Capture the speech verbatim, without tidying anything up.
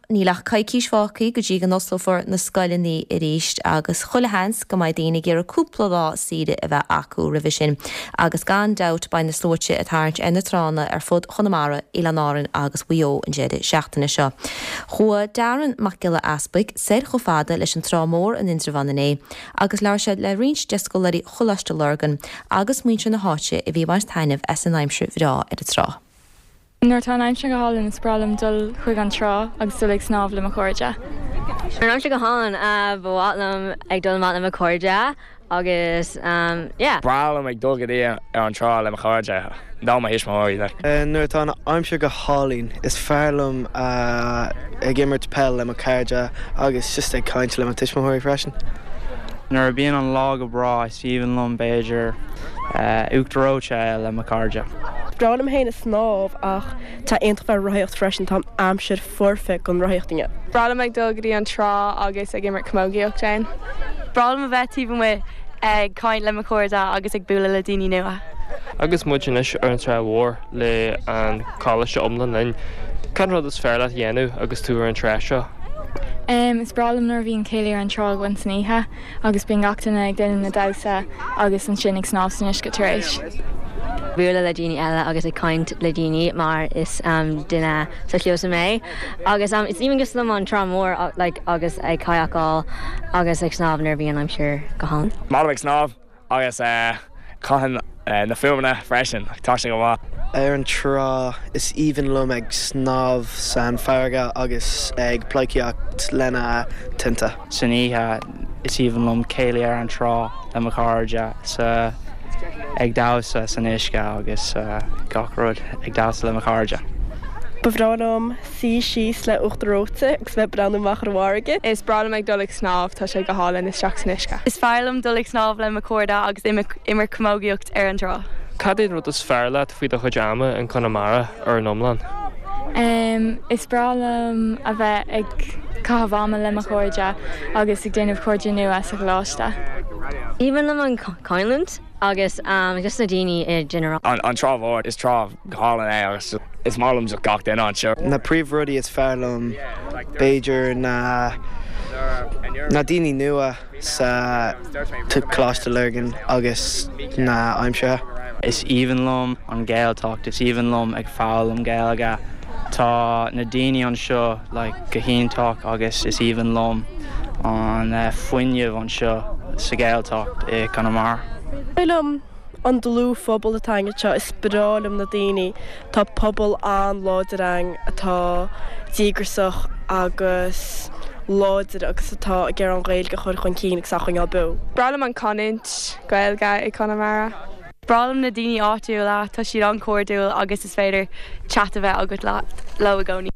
Níl ach coicís fágtha go dtí go n-osclófar na scoileanna arís agus chuile sheans go mbeidh daoine ag iarraidh cúpla lá saoire a bheith acu roimhe sin. Agus gan dabht beidh na sluaite ag tarraingt ar na tránna ar fud Chonamara, Oileáin Árann agus Mhaigh Eo an deireadh seachtaine seo. Chuaigh Darren Mac Giolla Easpaig soir chomh fada leis an Trá Mhór in Indreabhán inné agus labhair sé le roinnt de scoláirí Choláiste Lurgan agus muintir na háite a bhí ag baint taitneamh as an aimsir bhreá ar an trá. Nuair atá an aimsir go hálainn is breá liom dul chuig an trá agus dul ag snámh le mo chairde. An aimsir go hálainn ba mhaith liom ag dul amach le mo chairde agus um, yeah. Breá liom ag dul go dtí ar an trá le mo chairde nó mo thuismitheoirí. Nuair atá an aimsir go hálainn is fearr liom ag imirt peil le mo chairde agus just ag caint le mo thuismitheoirí freisin. Nuair a bhíonn an lá go breá is aoibhinn liom b'fhéidir uachtar reoite le mo chairde. Breá liom féin ag snámh ach tá iontach bheith rothaíocht freisin tá aimsir foirfe don rothaíocht inniu. Breá liom ag dul go dtí an trá agus ag imirt camógaíocht ann. Breá liom a bheith taobh amuigh ag caint le mo chairde agus ag bualadh le daoine nua. Agus muid anois ar an trá mhór le an choláiste iomlán linn. Cén rud is fearr leat dhéanamh agus tú ar an trá seo? Um, is breá liom nuair a bhíonn céilí ar an trá againn san oíche agus bíonn gach duine ag déanamh na damhsa agus ansin ag snámh san uisce tar éis. Bualadh le daoine eile agus ag caint le daoine mar is um, duine sóisialta mé. Agus um, is aoibhinn liom an trá mhór like, agus ag kayakáil agus ag snámh nuair a bhíonn aimsir go hálainn. Má ag snámh agus uh, caihan uh, na fuaimeanna freisin tá sé go maith. Ar an trá is aoibhinn liom ag snámh san farraige agus ag pleidhcíocht lena tinte. San oíche is aoibhinn liom céilí ar an trá le mo chairde sa ag damhsa san uisce agus uh, gach rud ag damhsa le mo chairde. Ba bhreá liom suí síos le uachtar reoite agus bheith breathnú amach ar an bhfarraige. Is breá liom ag dul ag snámh tá sé go hálainn isteach san uisce. Is fearr liom dul ag snámh le mo chairde agus imirt camógaíocht ar an trá. Cad é an rud is fearr leat faoi do chuid ama in Conamara ar an iomlán? Um, is breá liom a bheith ag caitheamh ama le mo chairde agus ag déanamh cairde nua sa choláiste. Aoibhinn liom an canúint agus um, just na daoine i general. An, an trá mhór is trá hálainn é agus is maith liom gach duine anseo. Na príomhrudaí is fearr liom b'fhéidir na na daoine nua sa Coláiste Lurgan agus na aimsire. Is aoibhinn liom an Ghaeltacht, is aoibhinn liom ag foghlaim Gaeilge. Tá na daoine anseo like, go hiontach agus is aoibhinn liom an uh, fuinneamh anseo sa Ghaeltacht i Conamara. Liom an dlúthphobal atá anseo is breá liom na daoine Tá pobal an-láidir ann atá díograiseach agus láidir agus atá ag iarraidh an Ghaeilge a chur chun cinn agus a choinneáil beo. Breá liom an canúint Gaeilge i Conamara. Breá liom na daoine áitiúla tá siad an-chairdiúil agus is féidir chat a bheith agat leo i gcónaí.